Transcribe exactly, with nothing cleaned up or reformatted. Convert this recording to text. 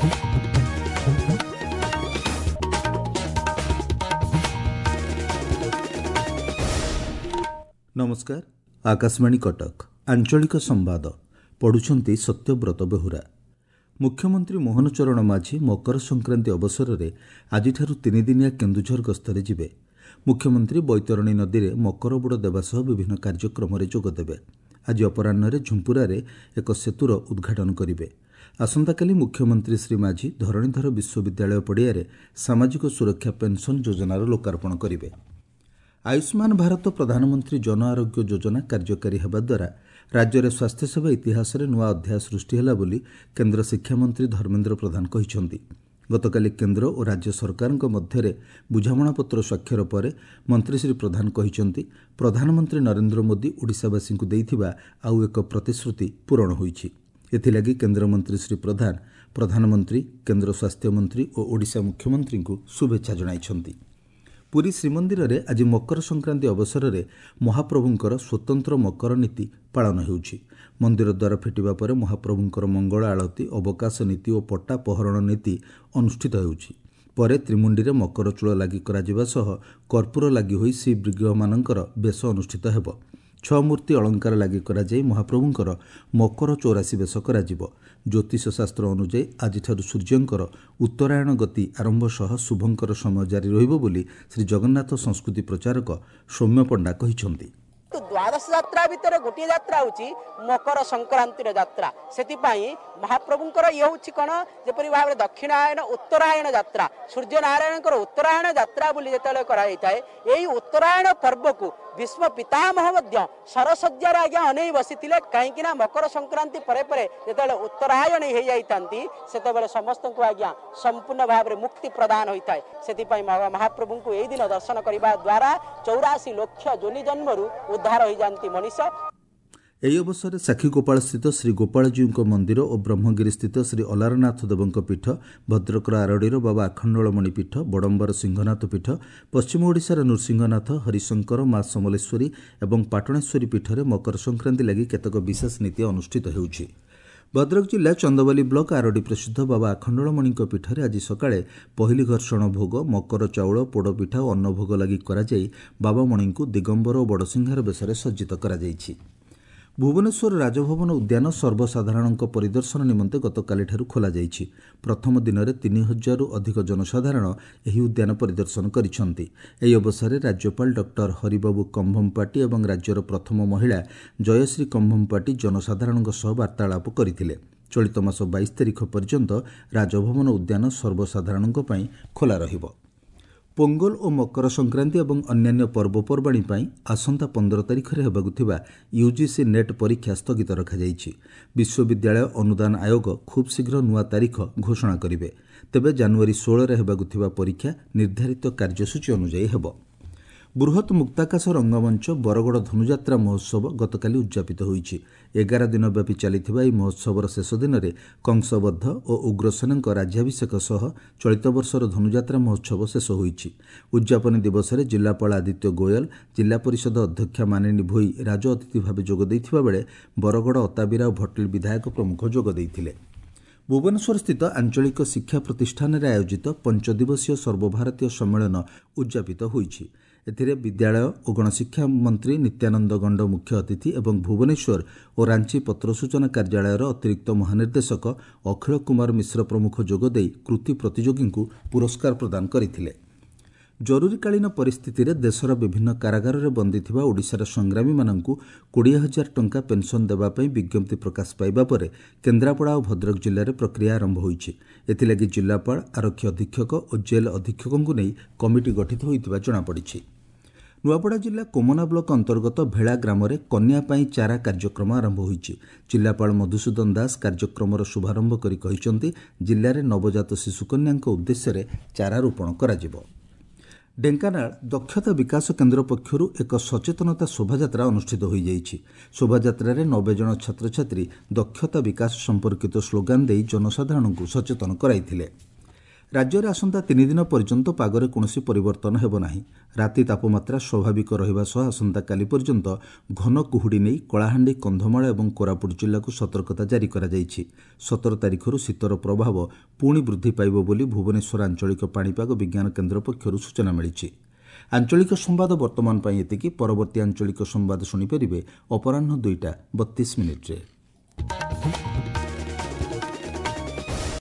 ନମସ୍କାର, ଆକାଶବାଣୀ କଟକ, ଆଞ୍ଚଳିକ ସମ୍ବାଦ ପଢ଼ୁଛନ୍ତି ସତ୍ୟବ୍ରତ ବେହୁରା। ମୁଖ୍ୟମନ୍ତ୍ରୀ ମୋହନ ଚରଣ ମାଝୀ ମକର ସଂକ୍ରାନ୍ତି ଅବସରରେ ଆଜିଠାରୁ ତିନିଦିନିଆ କେନ୍ଦୁଝର ଗସ୍ତରେ ଯିବେ। ମୁଖ୍ୟମନ୍ତ୍ରୀ ବୈତରଣୀ ନଦୀରେ ମକର ବୁଡ଼ ଦେବା ସହ ବିଭିନ୍ନ କାର୍ଯ୍ୟକ୍ରମରେ ଯୋଗଦେବେ। ଆଜି ଅପରାହ୍ନରେ ଝୁମ୍ପୁରାରେ ଏକ ସେତୁର ଉଦ୍ଘାଟନ କରିବେ। ଆସନ୍ତାକାଲି ମୁଖ୍ୟମନ୍ତ୍ରୀ ଶ୍ରୀ ମାଝୀ ଧରଣୀଧର ବିଶ୍ୱବିଦ୍ୟାଳୟ ପଡ଼ିଆରେ ସାମାଜିକ ସୁରକ୍ଷା ପେନ୍ସନ୍ ଯୋଜନାର ଲୋକାର୍ପଣ କରିବେ। ଆୟୁଷ୍ମାନ ଭାରତ ପ୍ରଧାନମନ୍ତ୍ରୀ ଜନ ଆରୋଗ୍ୟ ଯୋଜନା କାର୍ଯ୍ୟକାରୀ ହେବା ଦ୍ୱାରା ରାଜ୍ୟରେ ସ୍ୱାସ୍ଥ୍ୟସେବା ଇତିହାସରେ ନୂଆ ଅଧ୍ୟାୟ ସୃଷ୍ଟି ହେଲା ବୋଲି କେନ୍ଦ୍ର ଶିକ୍ଷାମନ୍ତ୍ରୀ ଧର୍ମେନ୍ଦ୍ର ପ୍ରଧାନ କହିଛନ୍ତି। ଗତକାଲି କେନ୍ଦ୍ର ଓ ରାଜ୍ୟ ସରକାରଙ୍କ ମଧ୍ୟରେ ବୁଝାମଣାପତ୍ର ସ୍ୱାକ୍ଷର ପରେ ମନ୍ତ୍ରୀ ଶ୍ରୀ ପ୍ରଧାନ କହିଛନ୍ତି, ପ୍ରଧାନମନ୍ତ୍ରୀ ନରେନ୍ଦ୍ର ମୋଦି ଓଡ଼ିଶାବାସୀଙ୍କୁ ଦେଇଥିବା ଆଉ ଏକ ପ୍ରତିଶ୍ରୁତି ପୂରଣ ହୋଇଛି। ଏଥିଲାଗି କେନ୍ଦ୍ରମନ୍ତ୍ରୀ ଶ୍ରୀ ପ୍ରଧାନ ପ୍ରଧାନମନ୍ତ୍ରୀ, କେନ୍ଦ୍ର ସ୍ୱାସ୍ଥ୍ୟମନ୍ତ୍ରୀ ଓ ଓଡ଼ିଶା ମୁଖ୍ୟମନ୍ତ୍ରୀଙ୍କୁ ଶୁଭେଚ୍ଛା ଜଣାଇଛନ୍ତି। ପୁରୀ ଶ୍ରୀମନ୍ଦିରରେ ଆଜି ମକର ସଂକ୍ରାନ୍ତି ଅବସରରେ ମହାପ୍ରଭୁଙ୍କର ସ୍ୱତନ୍ତ୍ର ମକର ନୀତି ପାଳନ ହେଉଛି। ମନ୍ଦିର ଦ୍ୱାର ଫିଟିବା ପରେ ମହାପ୍ରଭୁଙ୍କର ମଙ୍ଗଳ ଆଳତୀ, ଅବକାଶ ନୀତି ଓ ପଟା ପହରଣ ନୀତି ଅନୁଷ୍ଠିତ ହେଉଛି। ପରେ ତ୍ରିମୁଣ୍ଡିରେ ମକର ଚୂଳ ଲାଗି କରାଯିବା ସହ କର୍ପୂର ଲାଗି ହୋଇ ଶ୍ରୀବିଗ୍ରହମାନଙ୍କର ବେଶ ଅନୁଷ୍ଠିତ ହେବ। ଛଅ ମୂର୍ତ୍ତି ଅଳଙ୍କାର ଲାଗି କରାଯାଇ ମହାପ୍ରଭୁଙ୍କର ମକର ଚୌରାଶୀ ବେଶ କରାଯିବ। ଜ୍ୟୋତିଷ ଶାସ୍ତ୍ର ଅନୁଯାୟୀ ଆଜିଠାରୁ ସୂର୍ଯ୍ୟଙ୍କର ଉତ୍ତରାୟଣ ଗତି ଆରମ୍ଭ ସହ ଶୁଭଙ୍କର ସମୟ ଜାରି ରହିବ ବୋଲି ଶ୍ରୀ ଜଗନ୍ନାଥ ସଂସ୍କୃତି ପ୍ରଚାରକ ସୌମ୍ୟ ପଣ୍ଡା କହିଛନ୍ତି। ଦ୍ୱାଦଶ ଯାତ୍ରା ଭିତରେ ଗୋଟିଏ ଯାତ୍ରା ହେଉଛି ମକର ସଂକ୍ରାନ୍ତିର ଯାତ୍ରା। ସେଥିପାଇଁ ମହାପ୍ରଭୁଙ୍କର ଇଏ ହେଉଛି କ'ଣ, ଯେପରି ଭାବରେ ଦକ୍ଷିଣାୟନ ଉତ୍ତରାୟଣ ଯାତ୍ରା, ସୂର୍ଯ୍ୟ ନାରାୟଣଙ୍କର ଉତ୍ତରାୟଣ ଯାତ୍ରା ବୋଲି ଯେତେବେଳେ କରାଯାଇଥାଏ, ଏଇ ଉତ୍ତରାୟଣ ପର୍ବକୁ ଭୀଷ୍ମ ପିତାମହ ମଧ୍ୟ ସରଶଯ୍ୟାରେ ଆଜ୍ଞା ଅନେଇ ବସିଥିଲେ। କାହିଁକି ନା ମକର ସଂକ୍ରାନ୍ତି ପରେ ପରେ ଯେତେବେଳେ ଉତ୍ତରାୟଣ ହେଇଯାଇଥାନ୍ତି, ସେତେବେଳେ ସମସ୍ତଙ୍କୁ ଆଜ୍ଞା ସମ୍ପୂର୍ଣ୍ଣ ଭାବରେ ମୁକ୍ତି ପ୍ରଦାନ ହୋଇଥାଏ। ସେଥିପାଇଁ ମହାପ୍ରଭୁଙ୍କୁ ଏଇ ଦିନ ଦର୍ଶନ କରିବା ଦ୍ୱାରା ଚଉରାଶୀ ଲକ୍ଷ ଯୋନି ଜନ୍ମରୁ ଉଦ୍ଧାର ହୋଇଯାନ୍ତି ମଣିଷ। ଏହି ଅବସରରେ ସାକ୍ଷୀଗୋପାଳସ୍ଥିତ ଶ୍ରୀ ଗୋପାଳଜୀଉଙ୍କ ମନ୍ଦିର ଓ ବ୍ରହ୍ମଗିରିସ୍ଥିତ ଶ୍ରୀ ଅଲାରନାଥ ଦେବଙ୍କ ପୀଠ, ଭଦ୍ରକର ଆରଡ଼ିର ବାବା ଆଖଣ୍ଡଳମଣି ପୀଠ, ବଡ଼ମ୍ବାର ସିଂହନାଥ ପୀଠ, ପଶ୍ଚିମ ଓଡ଼ିଶାର ନୃସିଂହନାଥ, ହରିଶଙ୍କର, ମା ସମଲେଶ୍ୱରୀ ଏବଂ ପାଟଣେଶ୍ୱରୀ ପୀଠରେ ମକର ସଂକ୍ରାନ୍ତି ଲାଗି କେତେକ ବିଶେଷ ନୀତି ଅନୁଷ୍ଠିତ ହେଉଛି। ଭଦ୍ରକ ଜିଲ୍ଲା ଚନ୍ଦବାଲି ବ୍ଲକ ଆରଡ଼ି ପ୍ରସିଦ୍ଧ ବାବା ଆଖଣ୍ଡଳମଣିଙ୍କ ପୀଠରେ ଆଜି ସକାଳେ ପହିଲି ଘର୍ଷଣ ଭୋଗ, ମକର ଚାଉଳ, ପୋଡ଼ପିଠା ଓ ଅନ୍ନଭୋଗ ଲାଗି କରାଯାଇ ବାବାମଣିଙ୍କୁ ଦିଗମ୍ବର ଓ ବଡ଼ସିଂହାର ବେଶରେ ସଜ୍ଜିତ କରାଯାଇଛି। ଭୁବନେଶ୍ୱର ରାଜଭବନ ଉଦ୍ୟାନ ସର୍ବସାଧାରଣଙ୍କ ପରିଦର୍ଶନ ନିମନ୍ତେ ଗତକାଲିଠାରୁ ଖୋଲାଯାଇଛି। ପ୍ରଥମ ଦିନରେ ତିନି ହଜାରରୁ ଅଧିକ ଜନସାଧାରଣ ଏହି ଉଦ୍ୟାନ ପରିଦର୍ଶନ କରିଛନ୍ତି। ଏହି ଅବସରରେ ରାଜ୍ୟପାଳ ଡକ୍ଟର ହରିବାବୁ କମ୍ଭମପାଟି ଏବଂ ରାଜ୍ୟର ପ୍ରଥମ ମହିଳା ଜୟଶ୍ରୀ କମ୍ଭମପାଟି ଜନସାଧାରଣଙ୍କ ସହ ବାର୍ତ୍ତାଳାପ କରିଥିଲେ। ଚଳିତ ମାସ ବାଇଶ ତାରିଖ ପର୍ଯ୍ୟନ୍ତ ରାଜଭବନ ଉଦ୍ୟାନ ସର୍ବସାଧାରଣଙ୍କ ପାଇଁ ଖୋଲା ରହିବ। ପୋଙ୍ଗଲ ଓ ମକର ସଂକ୍ରାନ୍ତି ଏବଂ ଅନ୍ୟାନ୍ୟ ପର୍ବପର୍ବାଣୀ ପାଇଁ ଆସନ୍ତା ପନ୍ଦର ତାରିଖରେ ହେବାକୁ ଥିବା ୟୁଜିସି ନେଟ୍ ପରୀକ୍ଷା ସ୍ଥଗିତ ରଖାଯାଇଛି। ବିଶ୍ୱବିଦ୍ୟାଳୟ ଅନୁଦାନ ଆୟୋଗ ଖୁବ୍ ଶୀଘ୍ର ନୂଆ ତାରିଖ ଘୋଷଣା କରିବେ। ତେବେ ଜାନୁଆରୀ ଷୋହଳରେ ହେବାକୁ ଥିବା ପରୀକ୍ଷା ନିର୍ଦ୍ଧାରିତ କାର୍ଯ୍ୟସୂଚୀ ଅନୁଯାୟୀ ହେବ। ବୃହତ୍ ମୁକ୍ତାକାଶ ରଙ୍ଗମଞ୍ଚ ବରଗଡ଼ ଧନୁଯାତ୍ରା ମହୋତ୍ସବ ଗତକାଲି ଉଦ୍ଯାପିତ ହୋଇଛି। ଏଗାର ଦିନ ବ୍ୟାପୀ ଚାଲିଥିବା ଏହି ମହୋତ୍ସବର ଶେଷ ଦିନରେ କଂସବଦ୍ଧ ଓ ଉଗ୍ରସେନଙ୍କ ରାଜ୍ୟାଭିଷେକ ସହ ଚଳିତ ବର୍ଷର ଧନୁଯାତ୍ରା ମହୋତ୍ସବ ଶେଷ ହୋଇଛି। ଉଦ୍ଯାପନୀ ଦିବସରେ ଜିଲ୍ଲାପାଳ ଆଦିତ୍ୟ ଗୋୟଲ, ଜିଲ୍ଲା ପରିଷଦ ଅଧ୍ୟକ୍ଷା ମାନିନୀ ଭୋଇ ରାଜ ଅତିଥି ଭାବେ ଯୋଗ ଦେଇଥିବା ବେଳେ ବରଗଡ଼, ଅତାବିରା ଓ ଭଟଲି ବିଧାୟକ ପ୍ରମୁଖ ଯୋଗ ଦେଇଥିଲେ। ଭୁବନେଶ୍ୱରସ୍ଥିତ ଆଞ୍ଚଳିକ ଶିକ୍ଷା ପ୍ରତିଷ୍ଠାନରେ ଆୟୋଜିତ ପଞ୍ଚଦିବସୀୟ ସର୍ବଭାରତୀୟ ସମ୍ମେଳନ ଉଦ୍ଯାପିତ ହୋଇଛି। ଏଥିରେ ବିଦ୍ୟାଳୟ ଓ ଗଣଶିକ୍ଷା ମନ୍ତ୍ରୀ ନିତ୍ୟାନନ୍ଦ ଗଣ୍ଡ ମୁଖ୍ୟ ଅତିଥି ଏବଂ ଭୁବନେଶ୍ୱର ଓ ରାଞ୍ଚି ପତ୍ର ସୂଚନା କାର୍ଯ୍ୟାଳୟର ଅତିରିକ୍ତ ମହାନିର୍ଦ୍ଦେଶକ ଅଖିଳ କୁମାର ମିଶ୍ର ପ୍ରମୁଖ ଯୋଗଦେଇ କୃତି ପ୍ରତିଯୋଗୀଙ୍କୁ ପୁରସ୍କାର ପ୍ରଦାନ କରିଥିଲେ। ଜରୁରୀକାଳୀନ ପରିସ୍ଥିତିରେ ଦେଶର ବିଭିନ୍ନ କାରାଗାରରେ ବନ୍ଦୀ ଥିବା ଓଡ଼ିଶାର ସଂଗ୍ରାମୀମାନଙ୍କୁ କୋଡ଼ିଏ ହଜାର ଟଙ୍କା ପେନ୍ସନ୍ ଦେବା ପାଇଁ ବିଜ୍ଞପ୍ତି ପ୍ରକାଶ ପାଇବା ପରେ କେନ୍ଦ୍ରାପଡ଼ା ଓ ଭଦ୍ରକ ଜିଲ୍ଲାରେ ପ୍ରକ୍ରିୟା ଆରମ୍ଭ ହୋଇଛି। ଏଥିଲାଗି ଜିଲ୍ଲାପାଳ, ଆରକ୍ଷୀ ଅଧୀକ୍ଷକ ଓ ଜେଲ୍ ଅଧୀକ୍ଷକଙ୍କୁ ନେଇ କମିଟି ଗଠିତ ହୋଇଥିବା ଜଣାପଡ଼ିଛି। ନୂଆପଡ଼ା ଜିଲ୍ଲା କୋମନା ବ୍ଲକ ଅନ୍ତର୍ଗତ ଭେଳା ଗ୍ରାମରେ କନ୍ୟା ପାଇଁ ଚାରା କାର୍ଯ୍ୟକ୍ରମ ଆରମ୍ଭ ହୋଇଛି। ଜିଲ୍ଲାପାଳ ମଧୁସୂଦନ ଦାସ କାର୍ଯ୍ୟକ୍ରମର ଶୁଭାରମ୍ଭ କରି କହିଛନ୍ତି, ଜିଲ୍ଲାରେ ନବଜାତ ଶିଶୁକନ୍ୟାଙ୍କ ଉଦ୍ଦେଶ୍ୟରେ ଚାରା ରୋପଣ କରାଯିବ। ଢେଙ୍କାନାଳ ଦକ୍ଷତା ବିକାଶ କେନ୍ଦ୍ର ପକ୍ଷରୁ ଏକ ସଚେତନତା ଶୋଭାଯାତ୍ରା ଅନୁଷ୍ଠିତ ହୋଇଯାଇଛି। ଶୋଭାଯାତ୍ରାରେ ନବେ ଜଣ ଛାତ୍ରଛାତ୍ରୀ ଦକ୍ଷତା ବିକାଶ ସମ୍ପର୍କିତ ସ୍ଲୋଗାନ ଦେଇ ଜନସାଧାରଣଙ୍କୁ ସଚେତନ କରାଇଥିଲେ। ରାଜ୍ୟରେ ଆସନ୍ତା ତିନି ଦିନ ପର୍ଯ୍ୟନ୍ତ ପାଗରେ କୌଣସି ପରିବର୍ତ୍ତନ ହେବ ନାହିଁ। ରାତି ତାପମାତ୍ରା ସ୍ୱାଭାବିକ ରହିବା ସହ ଆସନ୍ତାକାଲି ପର୍ଯ୍ୟନ୍ତ ଘନ କୁହୁଡ଼ି ନେଇ କଳାହାଣ୍ଡି, କନ୍ଧମାଳ ଏବଂ କୋରାପୁଟ ଜିଲ୍ଲାକୁ ସତର୍କତା ଜାରି କରାଯାଇଛି। ସତର ତାରିଖରୁ ଶୀତର ପ୍ରଭାବ ପୁଣି ବୃଦ୍ଧି ପାଇବ ବୋଲି ଭୁବନେଶ୍ୱର ଆଞ୍ଚଳିକ ପାଣିପାଗ ବିଜ୍ଞାନ କେନ୍ଦ୍ର ପକ୍ଷରୁ ସୂଚନା ମିଳିଛି। ଆଞ୍ଚଳିକ ସମ୍ବାଦ ବର୍ତ୍ତମାନ ପାଇଁ ଏତିକି। ପରବର୍ତ୍ତୀ ଆଞ୍ଚଳିକ ସମ୍ବାଦ ଶୁଣିପାରିବେ ଅପରାହ୍ନ ଦୁଇଟା ବତିଶ ମିନିଟ୍ରେ।